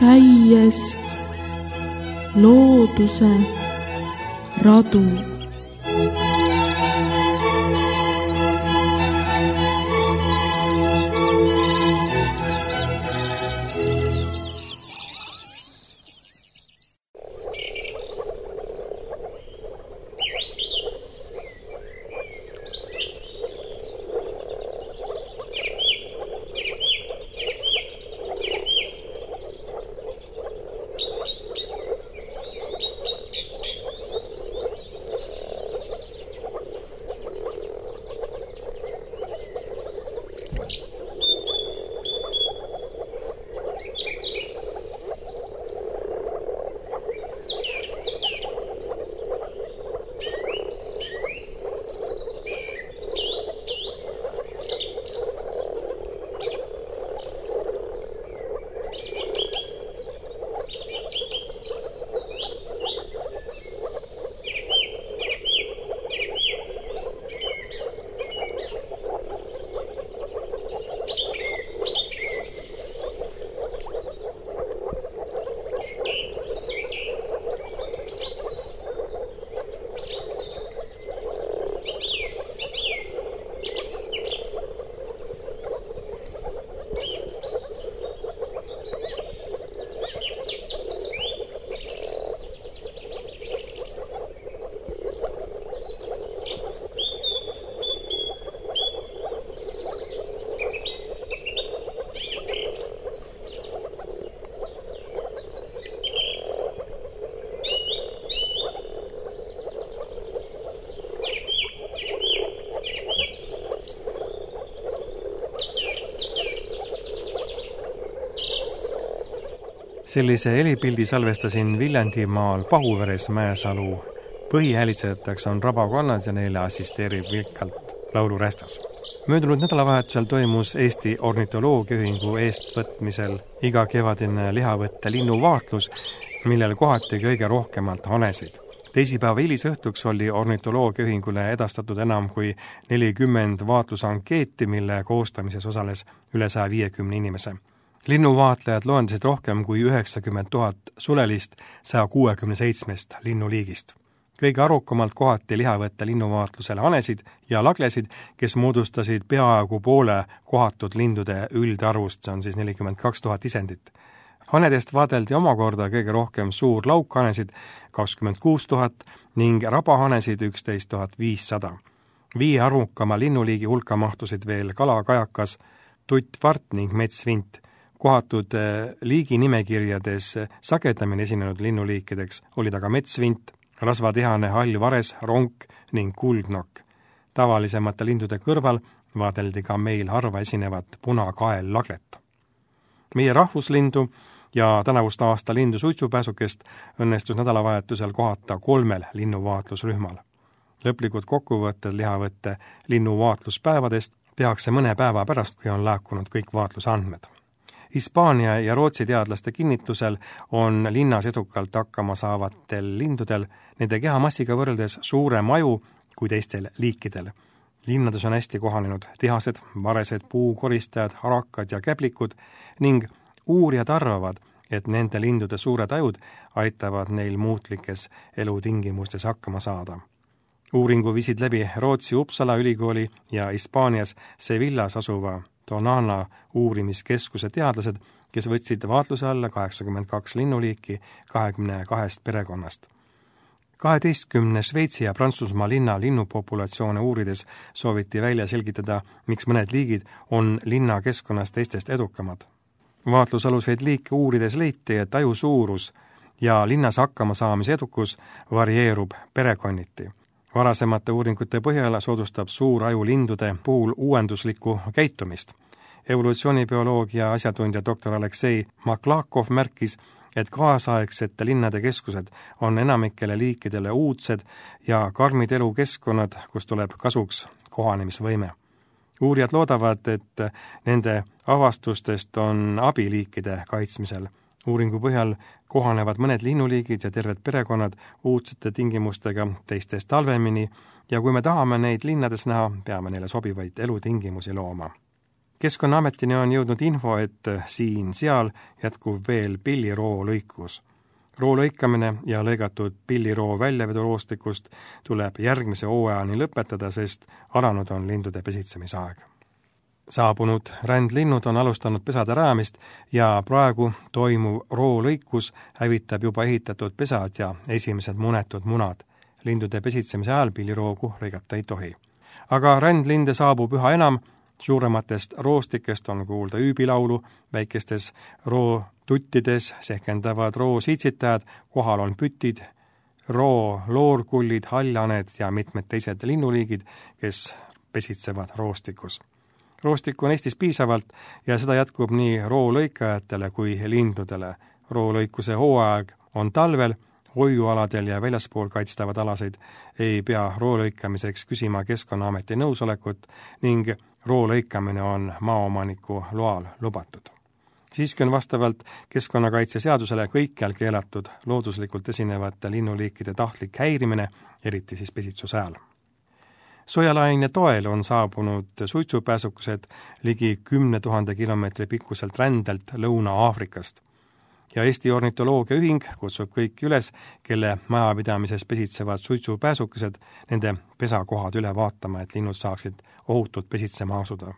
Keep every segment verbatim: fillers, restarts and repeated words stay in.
käies looduse radu. Sellise helipildi salvestasin Viljandimaal Pahuveres Mäesalu. Põhihäälitsejateks on rabakonnad ja neile assisteerib vilkalt laulurästas. Möödunud nädalavahetusel toimus Eesti Ornitoloogiaühingu eestvõtmisel iga kevadine lihavõtte linnuvaatlus, millel kohati kõige rohkemalt hanesid. Teisipäeva hilisõhtuks oli Ornitoloogiaühingule edastatud enam kui nelikümmend vaatlusankeeti, mille koostamises osales üle saja viiekümne inimese. Linnuvaatlejad loendasid rohkem kui üheksakümmend tuhat sulelist saja kuuekümne seitsmest linnuliigist. Kõige arukamalt kohati lihavõtte linnuvaatlusele hanesid ja laglesid, kes moodustasid peaaegu poole kohatud lindude üldarvust, see on siis nelikümmend kaks tuhat isendit. Hanedest vaadeldi omakorda kõige rohkem suur laukhanesid kakskümmend kuus tuhat ning rabahanesid üksteist tuhat viissada. Viie arvukama linnuliigi hulka mahtusid veel kalakajakas, tuttvart ning metsvint. Kohatud liigi nimekirjades sagedamini esinenud linnuliikideks olid aga metsvint, rasvatihane hall vares, ronk ning kuldnokk. Tavalisemate lindude kõrval vaadeldi ka meil harva esinevat punakael laglet. Meie rahvuslindu ja tänavust aasta lindu suitsupääsukest õnnestus nädalavahetusel kohata kolmel linnuvaatlusrühmal. Lõplikud kokkuvõtted lihavõtte linnuvaatluspäevadest tehakse mõne päeva pärast, kui on laekunud kõik vaatlusandmed. Hispaania ja Rootsi teadlaste kinnitusel on linnas edukalt hakkama saavatel lindudel nende kehamassiga võrreldes suurem aju kui teistel liikidel. Linnades on hästi kohanenud tihased, varesed, puukoristajad, harakad ja käblikud ning uurijad arvavad, et nende lindude suured ajud aitavad neil muutlikes elutingimustes hakkama saada. Uuringu viisid läbi Rootsi Uppsala ülikooli ja Hispaanias Sevillas asuva Tonana uurimiskeskuse teadlased, kes võtsid vaatluse alla kaheksakümmend kaks linnuliiki kahekümne kahest perekonnast. kaheteistkümne Šveitsi ja Prantsusmaa linna linnupopulatsioone uurides sooviti välja selgitada, miks mõned liigid on linna keskkonnas teistest edukamad. Vaatlusaluseid liike uurides leiti, et aju suurus ja linnas hakkama saamise edukus varieerub perekonniti. Varasemate uuringute põhjal soodustab suur aju lindude puhul uuenduslikku käitumist. Evolutsioonibioloogia asjatundja doktor Aleksei Maklakov märkis, et kaasaegsete linnade keskused on enamikele liikidele uudsed ja karmid elukeskkonnad, kus tuleb kasuks kohanemisvõime. Uurijad loodavad, et nende avastustest on abiliikide kaitsmisel. Uuringu põhjal kohanevad mõned linnuliigid ja terved perekonnad uudsete tingimustega teistest talvemini ja kui me tahame neid linnades näha, peame neile sobivaid elutingimusi looma. Keskkonnaametini on jõudnud info, et siin-seal jätkub veel pilliroo lõikus. Roo lõikamine ja lõigatud pilliroo väljaveduroostikust tuleb järgmise hooajani lõpetada, sest alanud on lindude pesitsemisaeg. Saabunud rändlinnud on alustanud pesade rajamist ja praegu toimuv roo lõikus hävitab juba ehitatud pesad ja esimesed munetud munad. Lindude pesitsemise ajal pilliroogu lõigata ei tohi. Aga rändlinde saabub üha enam, suurematest roostikest on kuulda üübilaulu, väikestes rootuttides sehkendavad roosiitsitajad, kohal on pütid, roo loorkullid, haljaned ja mitmed teised linnuliigid, kes pesitsevad roostikus. Roostikku on Eestis piisavalt ja seda jätkub nii roolõikajatele kui lindudele. Roolõikuse hooaeg on talvel, hoiualadel ja väljaspool kaitstavad alaseid ei pea roolõikamiseks küsima Keskkonnaameti nõusolekut ning roolõikamine on maaomaniku loal lubatud. Siiski on vastavalt keskkonnakaitseseadusele kõikjal keelatud looduslikult esinevate linnuliikide tahtlik häirimine, eriti siis pesitsuse ajal. Sojalaine toel on saabunud suitsupääsukesed ligi kümne tuhande kilomeetri pikkuselt rändelt Lõuna-Aafrikast. Ja Eesti Ornitoloogia Ühing kutsub kõiki üles, kelle majapidamises pesitsevad suitsupääsukesed, nende pesakohad üle vaatama, et linnud saaksid ohutult pesitsema asuda.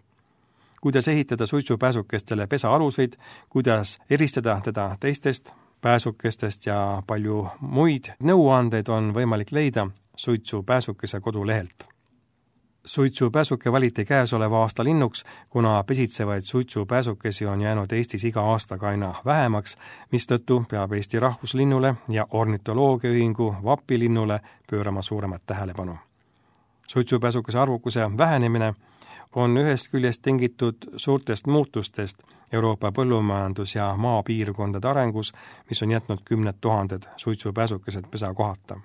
Kuidas ehitada suitsupääsukestele pesaaluseid, kuidas eristada teda teistest pääsukestest ja palju muid nõuandeid on võimalik leida suitsupääsukese kodulehelt. Suitsupääsuke valiti käesoleva aasta linnuks, kuna pesitsevaid suitsupääsukesi on jäänud Eestis iga aastaga aina vähemaks, mistõttu peab Eesti rahvuslinnule ja Ornitoloogia Ühingu vapilinnule pöörama suuremat tähelepanu. Suitsupääsukese arvukuse vähenemine on ühest küljest tingitud suurtest muutustest Euroopa põllumajandus- ja maapiirkondade arengus, mis on jätnud kümned tuhanded suitsupääsukesed pesakohata.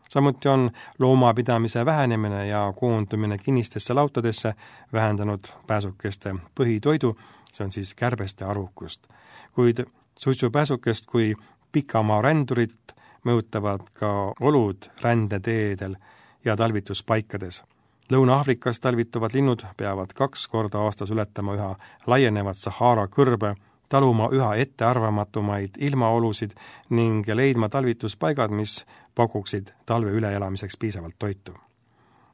Samuti on loomapidamise vähenemine ja koondumine kinnistesse lautadesse vähendanud pääsukeste põhitoidu, see on siis kärbeste arvukust. Kuid suitsupääsukest kui pikamaa rändurit mõjutavad ka olud rändeteedel ja talvituspaikades. Lõuna-Aafrikas talvituvad linnud peavad kaks korda aastas ületama üha laienevat Sahara kõrbe, taluma üha ettearvamatumaid ilmaolusid ning leidma talvituspaigad, mis pakuksid talve üleelamiseks piisavalt toitu.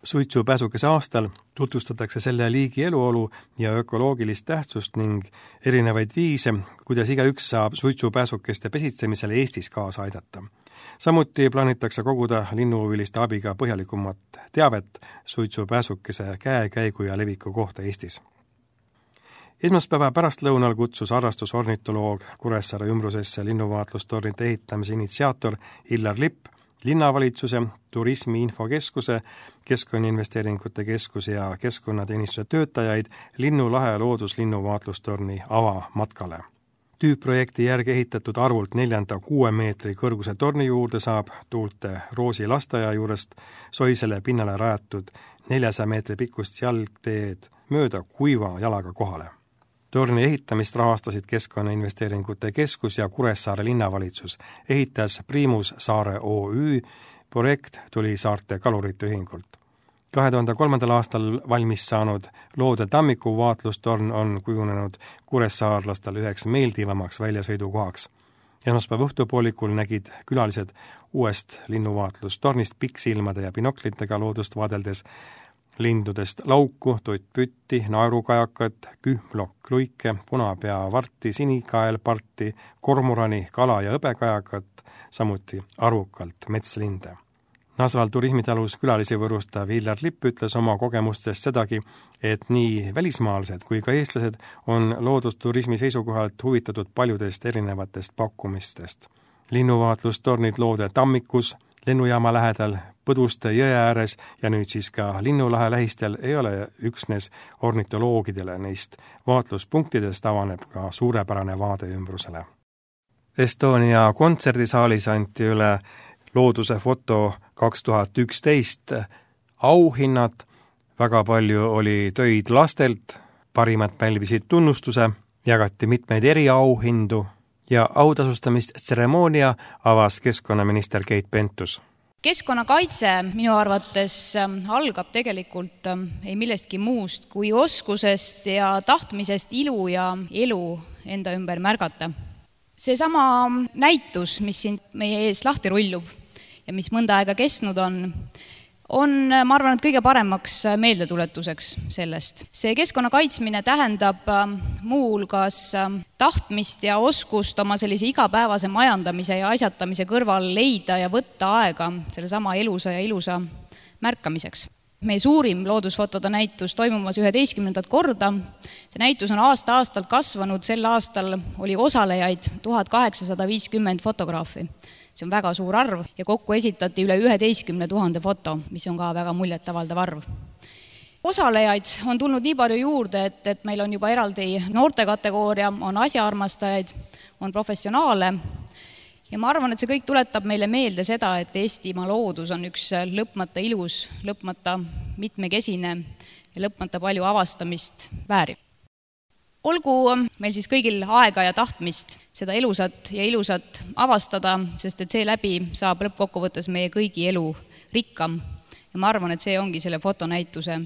Suitsupääsukese aastal tutvustatakse selle liigi eluolu ja ökoloogilist tähtsust ning erinevaid viise, kuidas igaüks saab suitsupääsukeste pesitsemisele Eestis kaasa aidata. Samuti plaanitakse koguda linnuhuviliste abiga põhjalikumat teavet suitsupääsukese käekäigu ja leviku kohta Eestis. Esmaspäeva pärastlõunal kutsus harrastusornitoloog Kuressaare ümbrusesse linnuvaatlustornide ehitamise initsiaator Illar Lipp, linnavalitsuse, turismi infokeskuse, Keskkonnainvesteeringute Keskuse ja Keskkonnateenistuse töötajaid Linnulahe looduslinnuvaatlustorni avamatkale. Tüüpprojekti järgi ehitatud arvult neljanda kuue meetri kõrguse torni juurde saab tuulte Roosi lasteaia juurest soisele pinnale rajatud neljasaja meetri pikkust jalgteed mööda kuiva jalaga kohale. Torni ehitamist rahastasid Keskkonnainvesteeringute Keskus ja Kuressaare linnavalitsus, ehitas Priimus Saare O Ü, projekt tuli Saarte Kalurite Ühingult. kahe tuhande kolmandal aastal valmis saanud Loode tammiku vaatlustorn on kujunenud kuressaarlastel üheks meeldivamaks väljasõidukohaks. Esmaspäeva õhtupoolikul nägid külalised uuest linnuvaatlustornist pikksilmade ja binoklitega loodust vaadeldes lindudest lauku, tuttpütti, naerukajakat, kühmlokk-luike, punapeavarti, sinikaelparti, kormorani, kala- ja hõbekajakat, samuti arvukalt metslinde. Nasval turismitalus külalisi võrustav Illar Lipp ütles oma kogemustest sedagi, et nii välismaalased kui ka eestlased on loodusturismi seisukohalt huvitatud paljudest erinevatest pakkumistest. Linnuvaatlustornid Loode tammikus, lennujaama lähedal, Põduste jõe ääres ja nüüd siis ka Linnulahe lähistel ei ole üksnes ornitoloogidele, neist vaatluspunktidest avaneb ka suurepärane vaade ümbrusele. Estonia kontserdisaalis anti üle looduse foto kaks tuhat üksteist auhinnad, väga palju oli töid lastelt, parimad pälvisid tunnustuse, jagati mitmeid eriauhindu ja autasustamistseremoonia avas keskkonnaminister Keit Pentus. Keskkonnakaitse minu arvates algab tegelikult ei millestki muust kui oskusest ja tahtmisest ilu ja elu enda ümber märgata. See sama näitus, mis siin meie ees lahti rullub ja mis mõnda aega kestnud on, on, ma arvan, et kõige paremaks meeldetuletuseks sellest. See keskkonna kaitsmine tähendab muuhulgas tahtmist ja oskust oma sellise igapäevase majandamise ja asjatamise kõrval leida ja võtta aega selle sama elusa ja ilusa märkamiseks. Meie suurim loodusfotode näitus toimumas üheteistkümnendat korda. See näitus on aasta-aastalt kasvanud, sel aastal oli osalejaid tuhat kaheksasada viiskümmend fotograafi. See on väga suur arv ja kokku esitati üle üheteistkümne tuhande foto, mis on ka väga muljetavaldav arv. Osalejaid on tulnud nii palju juurde, et, et meil on juba eraldi noortekategooria, on asjaarmastajaid, on professionaale. Ja ma arvan, et see kõik tuletab meile meelde seda, et Eestimaa loodus on üks lõpmata ilus, lõpmata mitmekesine ja lõpmata palju avastamist väärib. Olgu meil siis kõigil aega ja tahtmist seda elusat ja ilusat avastada, sest et see läbi saab lõppkokkuvõttes meie kõigi elu rikkam. Ja ma arvan, et see ongi selle fotonäituse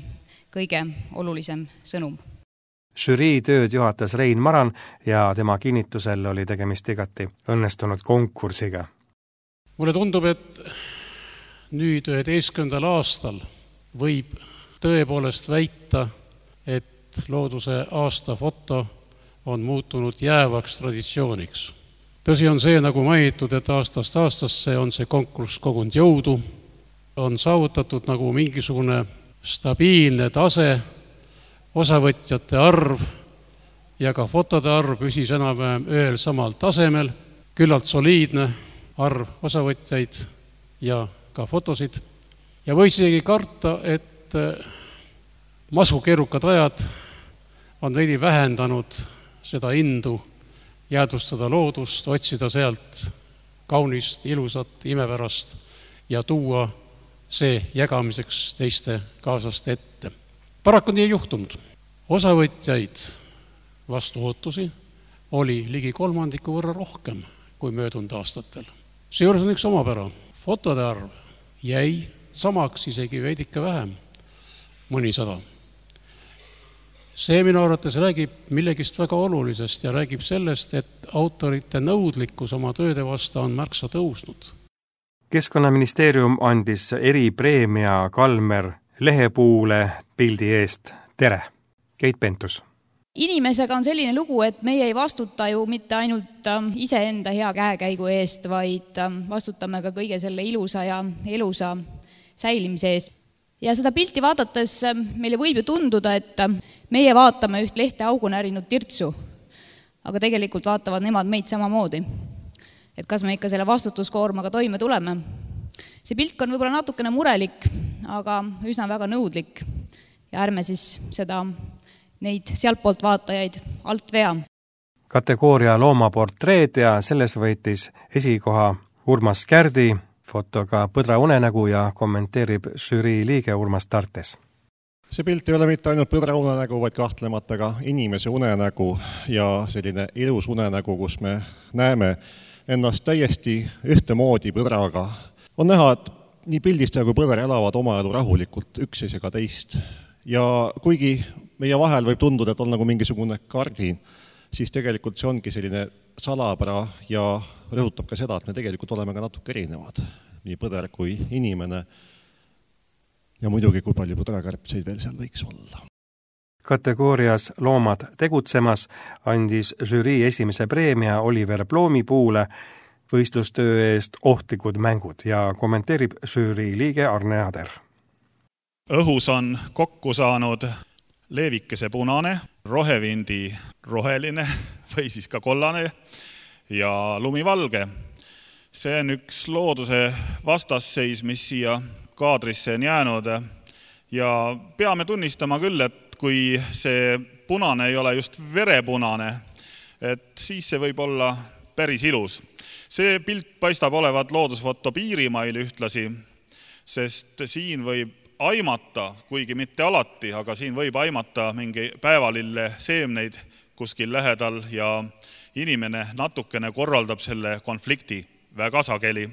kõige olulisem sõnum. Žürii tööd juhatas Rein Maran ja tema kinnitusel oli tegemist igati õnnestunud konkursiga. Mulle tundub, et nüüd üheteistkümnendal aastal võib tõepoolest väita, et looduse aasta foto on muutunud jäävaks traditsiooniks. Tõsi on see, nagu mainitud, et aastast aastasse on see konkurss kogunud jõudu, on saavutatud nagu mingisugune stabiilne tase, osavõtjate arv ja ka fotode arv püsis enam-vähem ühel samal tasemel, küllalt soliidne arv osavõtjaid ja ka fotosid. Ja võis isegi karta, et masukeerukad ajad on veidi vähendanud seda indu jäädvustada loodust, otsida sealt kaunist, ilusat, imepärast ja tuua see jagamiseks teiste kaaslaste ette. Paraku nii ei juhtunud. Osavõtjaid vastu ootusi oli ligi kolmandiku võrra rohkem kui möödunud aastatel. Seejuures on üks omapära. Fotode arv jäi samaks, isegi veidike vähem, mõnisada. See minu arvates räägib millegist väga olulisest ja räägib sellest, et autorite nõudlikkus oma tööde vastu on märksa tõusnud. Keskkonnaministeerium andis eripreemia Kalmer Lehepuule pildi eest. Tere! Keit Pentus. Inimesega on selline lugu, et meie ei vastuta ju mitte ainult iseenda hea käekäigu eest, vaid vastutame ka kõige selle ilusa ja elusa säilimise eest. Ja seda pilti vaadates meile võib ju tunduda, et meie vaatame üht lehte augu närinud tirtsu, aga tegelikult vaatavad nemad meid samamoodi. Et kas me ikka selle vastutuskoormaga toime tuleme. See pilk on võib-olla natukene murelik, aga üsna väga nõudlik ja ärme siis seda neid sealtpoolt vaatajaid alt vea. Kategooria loomaportreed ja selles võitis esikoha Urmas Kärdi, fotoga Põdra unenägu ja kommenteerib žürii liige Urmas Tartes. See pilt ei ole mitte ainult põdra unenägu, vaid kahtlemata ka inimese unenägu ja selline ilus unenägu, kus me näeme ennast täiesti ühtemoodi põdraga. On näha, et nii pildistaja kui põder elavad oma elu rahulikult üksteisega teist. Ja kuigi meie vahel võib tunduda, et on nagu mingisugune kardin, siis tegelikult see ongi selline salapära ja rõhutab ka seda, et me tegelikult oleme ka natuke erinevad, nii põder kui inimene ja muidugi kui palju põdrakärbseid veel seal võiks olla. Kategoorias Loomad tegutsemas andis žürii esimese preemia Oliver Ploomipuule võistlustöö eest Ohtlikud mängud ja kommenteerib žürii liige Arne Ader. Õhus on kokku saanud leevikese punane, rohevindi roheline või siis ka kollane ja lumivalge. See on üks looduse vastasseis, mis siia kaadrisse on jäänud ja peame tunnistama küll, et kui see punane ei ole just verepunane, et siis see võib olla päris ilus. See pilt paistab olevat loodusfoto Piirimail ühtlasi, sest siin võib aimata, kuigi mitte alati, aga siin võib aimata mingi päevalille seemneid kuskil lähedal ja inimene natukene korraldab selle konflikti väga sageli.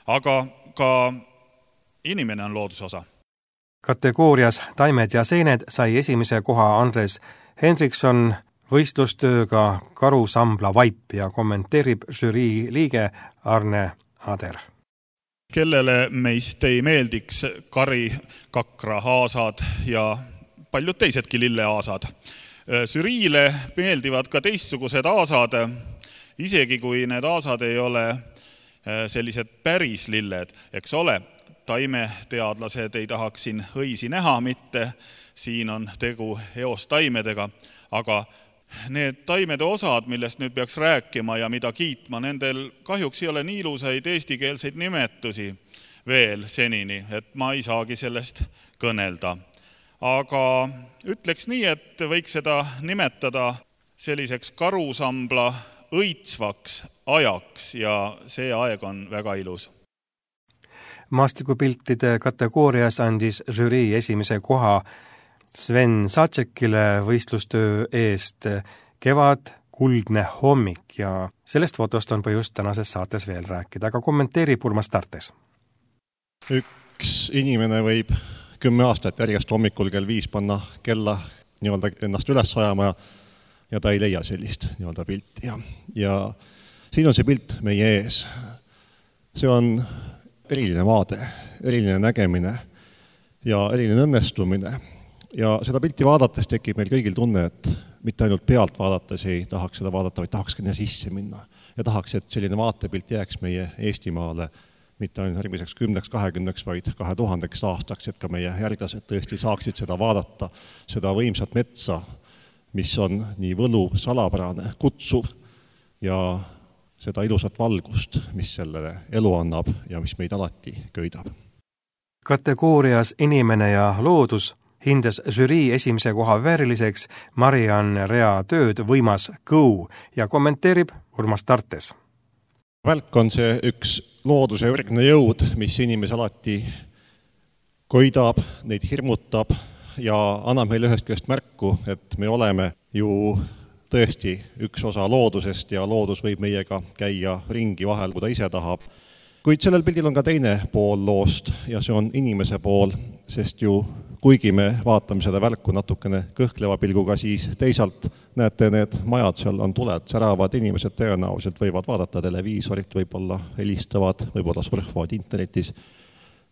Aga ka inimene on looduse osa. Kategoorias Taimed ja seened sai esimese koha Andres Hendrikson võistlustööga Karusambla vaip ja kommenteerib žürii liige Arne Ader. Kellele meist ei meeldiks kari, kakra, aasad ja paljud teisedki lilleaasad. Žüriile meeldivad ka teistsugused aasad, isegi kui need aasad ei ole sellised päris lilled, eks ole, taimeteadlased ei tahaks siin õisi näha mitte, siin on tegu eostaimedega, aga need taimede osad, millest nüüd peaks rääkima ja mida kiitma, nendel kahjuks ei ole nii ilusaid eestikeelseid nimetusi veel senini, et ma ei saagi sellest kõnelda. Aga ütleks nii, et võiks seda nimetada selliseks karusambla õitsvaks ajaks ja see aeg on väga ilus. Maastikupiltide kategoorias andis žürii esimese koha Sven Satsekile võistlustöö eest Kevad, kuldne hommik ja sellest fotost on põhjust tänases saates veel rääkida, aga kommenteerib Urmas Tartes. Üks inimene võib kümme aastat järjest hommikul kell viis panna kella nii-öelda ennast üles ajama ja, ja ta ei leia sellist nii-öelda pilti. Ja, ja siin on see pilt meie ees. See on eriline vaade, eriline nägemine ja eriline õnnestumine. Ja seda pilti vaadates tekib meil kõigil tunne, et mitte ainult pealt vaadates ei tahaks seda vaadata, vaid tahaks ka sisse minna. Ja tahaks, et selline vaatepilt jääks meie Eestimaale mitte ainult järgmiseks kümneks, kahekümneks, vaid kahe tuhandeks aastaks, et ka meie järglased tõesti saaksid seda vaadata, seda võimsat metsa, mis on nii võlu, salapärane, kutsuv ja seda ilusat valgust, mis sellele elu annab ja mis meid alati köidab. Kategoorias inimene ja loodus hindas žürii esimese koha vääriliseks Mariann Rea tööd Võimas kõu ja kommenteerib Urmas Tartes. Välk on see üks looduse ürgne jõud, mis inimese alati koidab, neid hirmutab ja annab meile ühest küljest märku, et me oleme ju tõesti üks osa loodusest ja loodus võib meiega käia ringi vahel, kui ta ise tahab. Kuid sellel pildil on ka teine pool loost ja see on inimese pool, sest ju kuigi me vaatame seda välku natukene kõhkleva pilguga, siis teisalt näete need majad, seal on tuled, säravad inimesed tõenäoliselt võivad vaadata televiisorit, võib-olla helistavad, võib-olla surfavad internetis.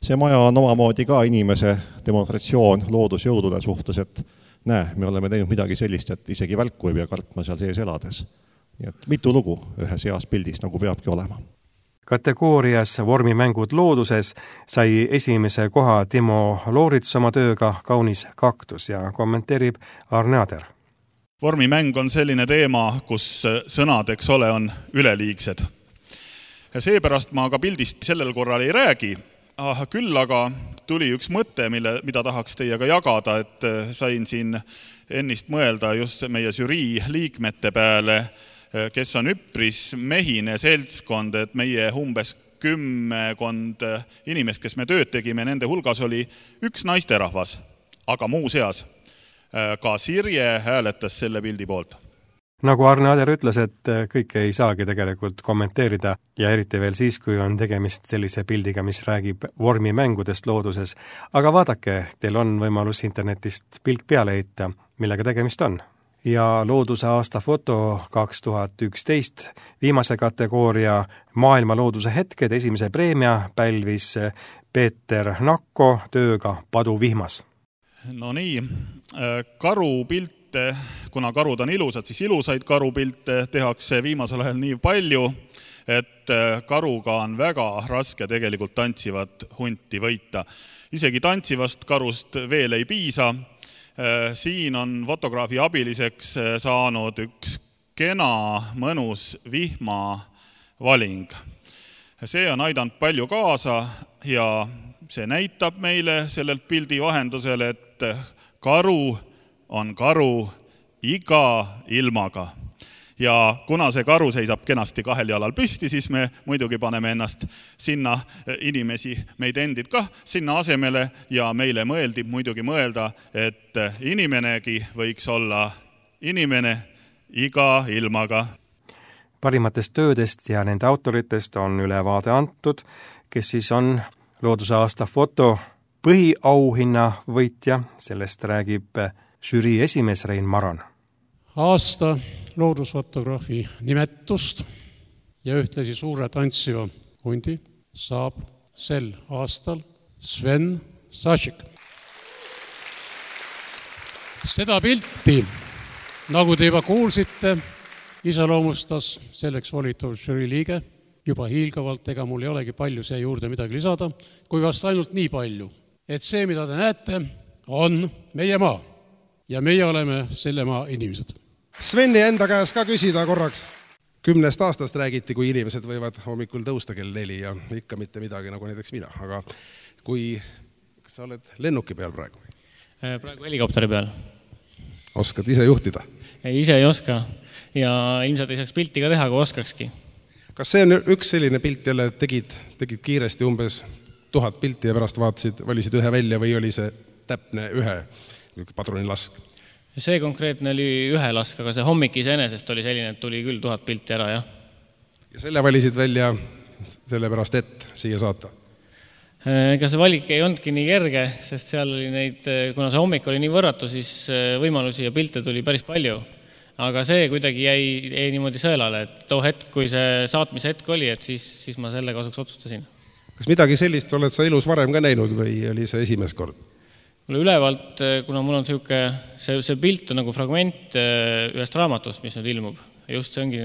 See maja on omamoodi ka inimese demonstratsioon loodusjõudude suhtes, et näe, me oleme teinud midagi sellist, et isegi välku ei pea kartma seal sees elades. Nii et mitu lugu ühes heas pildis, nagu peabki olema. Kategoorias vormimängud looduses sai esimese koha Timo Loorits oma tööga Kaunis kaktus ja kommenteerib Arne Ader. Vormimäng on selline teema, kus sõnad, eks ole, on üleliigsed. Ja seepärast ma ka pildist sellel korral ei räägi, ah, küll aga tuli üks mõte, mille, mida tahaks teiega jagada, et sain siin ennist mõelda just meie žürii liikmete peale, kes on üpris mehine seltskond, et meie umbes kümmekond inimest, kes me tööd tegime, nende hulgas oli üks naisterahvas, aga muu seas ka Sirje hääletas selle pildi poolt. Nagu Arne Ader ütles, et kõike ei saagi tegelikult kommenteerida ja eriti veel siis, kui on tegemist sellise pildiga, mis räägib vormimängudest looduses. Aga vaadake, teil on võimalus internetist pilk peale heita, millega tegemist on. Ja looduse aasta foto kaks tuhat üksteist viimase kategooria maailma looduse hetked esimese preemia pälvis Peeter Nakko tööga Padu vihmas. No nii, karupilte, kuna karud on ilusad, siis ilusaid karupilte tehakse viimasel ajal nii palju, et karuga on väga raske tegelikult tantsivat hunti võita. Isegi tantsivast karust veel ei piisa. Siin on fotograafi abiliseks saanud üks kena, mõnus vihmavaling. See on aidanud palju kaasa ja see näitab meile sellelt pildi vahendusel, et karu on karu iga ilmaga. Ja kuna see karu seisab kenasti kahel jalal püsti, siis me muidugi paneme ennast sinna inimesi, meid endid kah sinna asemele ja meile mõeldi muidugi mõelda, et inimenegi võiks olla inimene iga ilmaga. Parimatest töödest ja nende autoritest on ülevaade antud, kes siis on looduse aasta foto põhiauhinna võitja, sellest räägib žürii esimees Rein Maron. Aasta loodusfotograafi nimetust ja ühtlasi suure tantsiva hundi saab sel aastal Sven Sašik. Seda pilti, nagu te juba kuulsite, iseloomustas selleks volitav žürii liige juba hiilgavalt, ega mul ei olegi palju siia juurde midagi lisada, kui vast ainult nii palju, et see, mida te näete, on meie maa ja meie oleme selle maa inimesed. Sveni enda käes ka küsida korraks. Kümnest aastast räägiti, kui inimesed võivad hommikul tõusta kell neli ja ikka mitte midagi, nagu näiteks mina. Aga kui, kas sa oled lennuki peal praegu? Praegu helikopteri peal. Oskad ise juhtida? Ei, ise ei oska ja ilmselt ei saaks pilti ka teha, kui oskakski. Kas see on üks selline pilt jälle, tegid, tegid kiiresti umbes tuhat pilti ja pärast vaatasid, valisid ühe välja või oli see täpne ühe padrunilask? See konkreetne oli ühe lask, aga see hommik iseenesest oli selline, et tuli küll tuhat pilti ära, jah. Ja selle valisid välja sellepärast, et siia saata? Ega see valik ei olnudki nii kerge, sest seal oli neid, kuna see hommik oli nii võrratu, siis võimalusi ja pilte tuli päris palju. Aga see kuidagi jäi, jäi niimoodi sõelale, et too hetk, kui see saatmise hetk oli, et siis, siis ma selle kasuks otsustasin. Kas midagi sellist oled sa elus varem ka näinud või oli see esimest kord? Mulle ülevalt, kuna mul on siuke, see, see pilt on nagu fragment ühest raamatust, mis nüüd ilmub. Just see ongi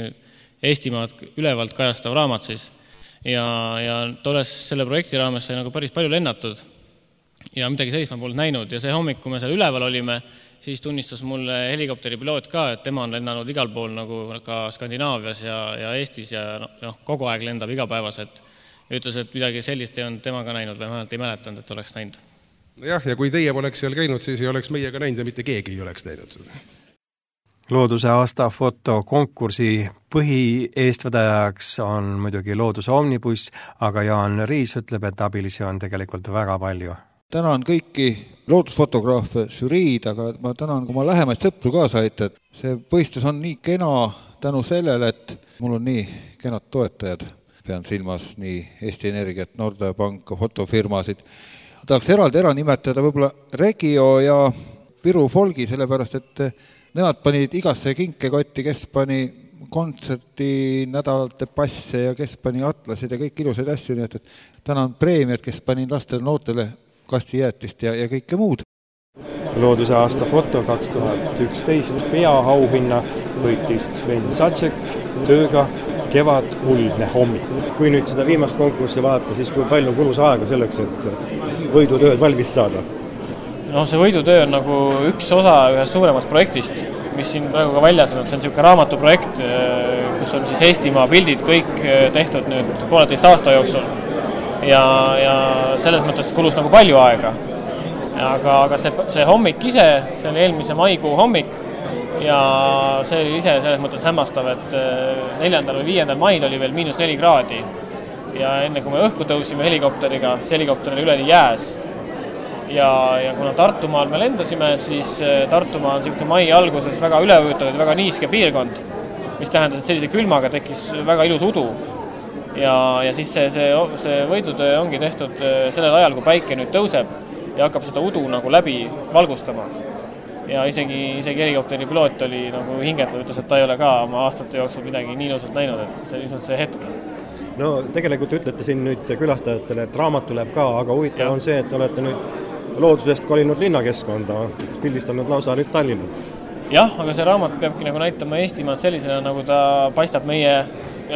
Eestimaad ülevalt kajastav raamat siis. Ja, ja tolles selle projekti raames sai nagu päris palju lennatud ja midagi sellist ma polnud näinud ja see hommik, kui me seal üleval olime, siis tunnistas mulle helikopteri piloot ka, et tema on lennanud igal pool nagu ka Skandinaavias ja, ja Eestis ja no, kogu aeg lendab igapäevaselt. Ütles, et midagi sellist ei olnud tema ka näinud või vähemalt ei mäletanud, et oleks näinud. Jah, ja kui teie poleks seal käinud, siis ei oleks meiega näinud ja mitte keegi ei oleks näinud. Looduse aasta fotokonkursi põhieestvedajaks on muidugi Looduse Omnibuss, aga Jaan Riis ütleb, et abilisi on tegelikult väga palju. Tänan kõiki loodusfotograafe, žüriid, aga ma tänan oma lähemaid sõpru kaasa aitab. See võistlus on nii kena tänu sellele, et mul on nii kenad toetajad. Pean silmas nii Eesti Energiat, Nordea Panka, fotofirmasid. Tahaks eraldi ära nimetada võib-olla Regio ja Viru Folgi, sellepärast, et nemad panid igasse kinkekotti, kes pani kontserti nädalate passe ja kes pani atlasid ja kõik ilusaid asju, nii et tänan preemiat, kes pani lastele noortele kastijäätist ja, ja kõike muud. Looduse aasta foto kaks tuhat üksteist peaauhinna võitis Sven Sašik tööga Kevad kuldne hommik. Kui nüüd seda viimast konkurssi vaadata, siis kui palju kulus aega selleks, et võidutööd valmis saada? No see võidutöö on nagu üks osa ühest suuremast projektist, mis siin praegu ka väljas on, see on niisugune raamatuprojekt, kus on siis Eestimaa pildid kõik tehtud nüüd pooleteist aasta jooksul. Ja, ja selles mõttes kulus nagu palju aega. Aga, aga see, see hommik ise, see oli eelmise maikuu hommik ja see oli ise selles mõttes hämmastav, et neljandal või viiendal mail oli veel miinus neli kraadi ja enne kui me õhku tõusime helikopteriga, see helikopter oli üleni jääs. Ja, ja kuna Tartumaal me lendasime, siis Tartumaa on niisugune mai alguses väga üleujutatud, väga niiske piirkond, mis tähendas, et sellise külmaga tekkis väga ilus udu. Ja, ja siis see, see, see võidutöö ongi tehtud sellel ajal, kui päike nüüd tõuseb ja hakkab seda udu nagu läbi valgustama. Ja isegi, isegi helikopteri piloot oli nagu hingetlev, ütles, et ta ei ole ka oma aastate jooksul midagi nii ilusalt näinud, et see on see hetk. No tegelikult ütlete siin nüüd külastajatele, et raamat tuleb ka, aga huvitav ja. On see, et olete nüüd loodusest kolinud linnakeskkonda, pildistanud lausa nüüd Tallinnat. Jah, aga see raamat peabki nagu näitama Eestimaad sellisena, nagu ta paistab meie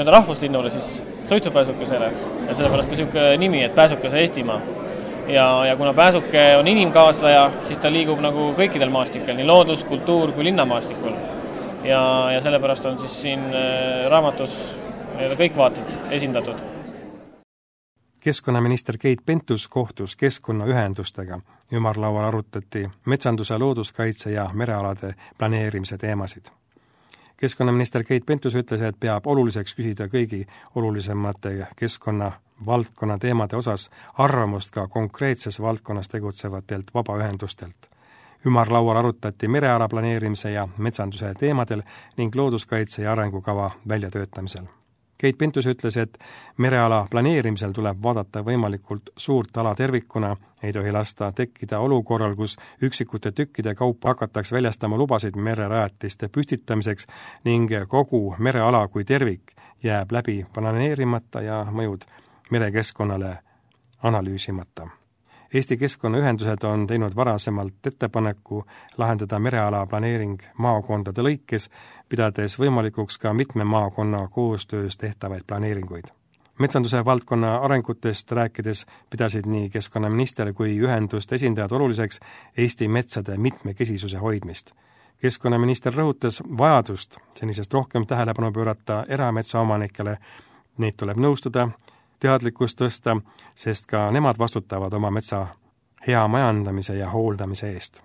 rahvuslinnule, siis suitsupääsukesele. Ja sellepärast ka niisugune nimi, et pääsukese Eestimaa. Ja, ja kuna pääsuke on inimkaaslaja, siis ta liigub nagu kõikidel maastikel, nii loodus, kultuur kui linnamaastikul. Ja, ja sellepärast on siis siin raamatus kõik vaated esindatud. Keskkonnaminister Keit Pentus kohtus keskkonnaühendustega. Ümarlaual arutati metsanduse, looduskaitse ja merealade planeerimise teemasid. Keskkonnaminister Keit Pentus ütles, et peab oluliseks küsida kõigi olulisemate keskkonna valdkonna teemade osas arvamust ka konkreetses valdkonnas tegutsevatelt vabaühendustelt. Ümarlaual arutati mereala planeerimise ja metsanduse teemadel ning looduskaitse ja arengukava väljatöötamisel. Keit Pentus ütles, et mereala planeerimisel tuleb vaadata võimalikult suurt ala tervikuna, ei tohi lasta tekkida olukorral, kus üksikute tükkide kaupa hakatakse väljastama lubasid mererajatiste püstitamiseks ning kogu mereala kui tervik jääb läbi planeerimata ja mõjud merekeskkonnale analüüsimata. Eesti keskkonnaühendused on teinud varasemalt ettepaneku lahendada mereala planeering maakondade lõikes, pidades võimalikuks ka mitme maakonna koostöös tehtavaid planeeringuid. Metsanduse valdkonna arengutest rääkides pidasid nii keskkonnaminister kui ühenduste esindajad oluliseks Eesti metsade mitmekesisuse hoidmist. Keskkonnaminister rõhutas vajadust senisest rohkem tähelepanu pöörata erametsaomanikele, neid tuleb nõustada, teadlikkust tõsta, sest ka nemad vastutavad oma metsa hea majandamise ja hooldamise eest.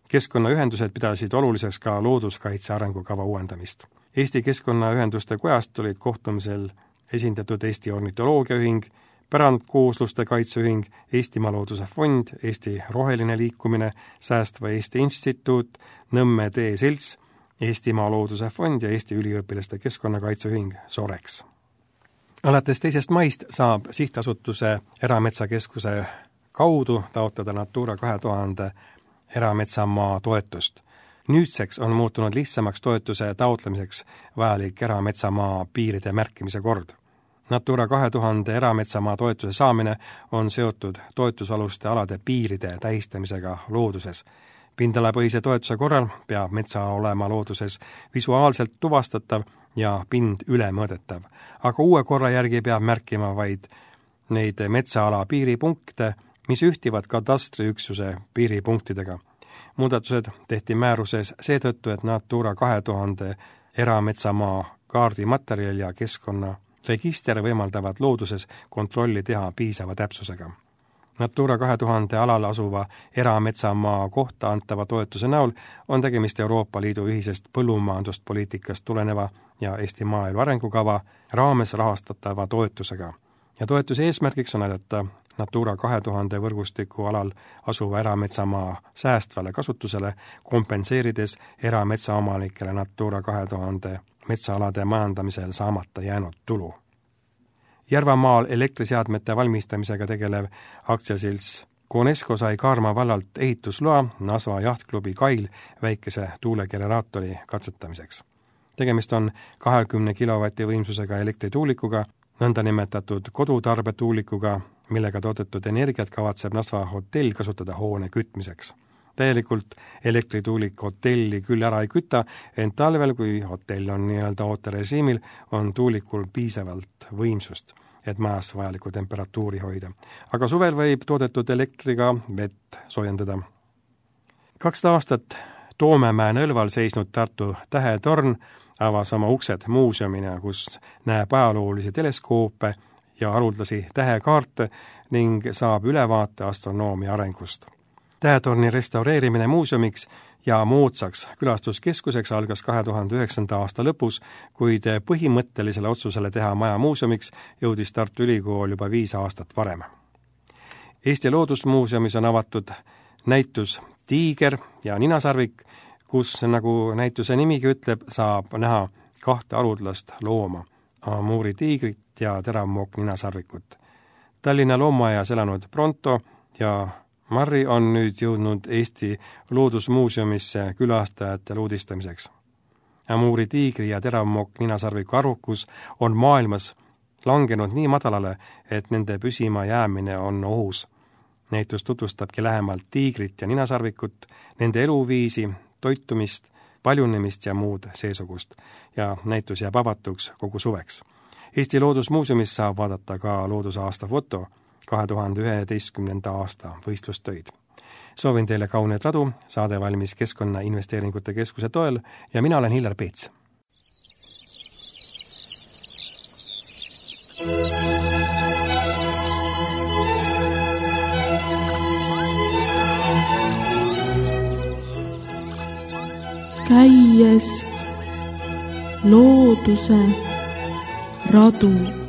Keskkonnaühendused pidasid oluliseks ka looduskaitse arengukava uuendamist. Eesti Keskkonnaühenduste Kojast olid kohtumisel esindatud Eesti Ornitoloogiaühing, Pärandkoosluste Kaitseühing, Eestimaa Looduse Fond, Eesti Roheline Liikumine, Säästva Eesti Instituut, Nõmme Tee Selts, Eestimaa Looduse Fond ja Eesti Üliõpilaste Keskkonnakaitseühing Sorex. Alates teisest maist saab sihtasutuse Erametsakeskuse kaudu taotleda Natura kahe tuhande erametsamaa toetust. Nüüdseks on muutunud lihtsamaks toetuse taotlemiseks vajalik erametsamaa piiride märkimise kord. Natura kahe tuhande erametsamaa toetuse saamine on seotud toetusaluste alade piiride tähistamisega looduses. Pindalapõhise toetuse korral peab metsa olema looduses visuaalselt tuvastatav ja pind ülemõõdetav, aga uue korra järgi peab märkima vaid neid metsaala piiripunkte, mis ühtivad katastriüksuse piiripunktidega. Muudatused tehti määruses seetõttu, et Natura kahe tuhande erametsamaa kaardimaterjal ja keskkonnaregister võimaldavad looduses kontrolli teha piisava täpsusega. Natura kahe tuhande alal asuva erametsamaa kohta antava toetuse näol on tegemist Euroopa Liidu ühisest põllumajanduspoliitikast tuleneva ja Eesti maaelu arengukava raames rahastatava toetusega. Ja toetuse eesmärgiks on aidata Natura kahe tuhande võrgustiku alal asuva erametsamaa säästvale kasutusele, kompenseerides erametsaomanikele Natura kahe tuhande metsaalade majandamisel saamata jäänud tulu. Järvamaal elektriseadmete valmistamisega tegelev aktsiaselts Conesco sai Kaarma vallalt ehitusloa Nasva jahtklubi Kail väikese tuulegeneraatori katsetamiseks. Tegemist on kahekümne kilovati võimsusega elektrituulikuga, nõndanimetatud kodutarbetuulikuga, millega toodetud energiat kavatseb Nasva hotell kasutada hoone kütmiseks. Täielikult elektrituulik hotelli küll ära ei küta, ent talvel, kui hotell on nii-öelda ooterežiimil, on tuulikul piisavalt võimsust, et majas vajalikku temperatuuri hoida. Aga suvel võib toodetud elektriga vett soojendada. Kakssada aastat Toomemäe nõlval seisnud Tartu Tähetorn avas oma uksed muuseumina, kus näeb ajaloolisi teleskoope ja haruldasi tähekaarte ning saab ülevaate astronoomia arengust. Tähetorni restaureerimine muuseumiks ja moodsaks külastuskeskuseks algas kahe tuhande üheksanda aasta lõpus, kuid põhimõttelisele otsusele teha maja muuseumiks jõudis Tartu Ülikool juba viis aastat varem. Eesti Loodusmuuseumis on avatud näitus Tiiger ja ninasarvik, kus, nagu näituse nimigi ütleb, saab näha kahte haruldast looma, Amuri tiigrit ja teravmook ninasarvikut. Tallinna loomaaias elanud Pronto ja Marri on nüüd jõudnud Eesti Loodusmuuseumisse külastajate uudistamiseks. Amuri tiigri ja teravmook ninasarviku arvukus on maailmas langenud nii madalale, et nende püsima jäämine on ohus. Näitus tutvustabki lähemalt tiigrit ja ninasarvikut, nende eluviisi, toitumist, paljunemist ja muud seesugust, ja näitus jääb avatuks kogu suveks. Eesti Loodusmuuseumis saab vaadata ka loodusaasta foto kahe tuhande üheteistkümnenda aasta võistlustöid. Soovin teile kauneid radu, saade valmis Keskkonnainvesteeringute Keskuse toel ja mina olen Hillar Peets. Käies looduse radu.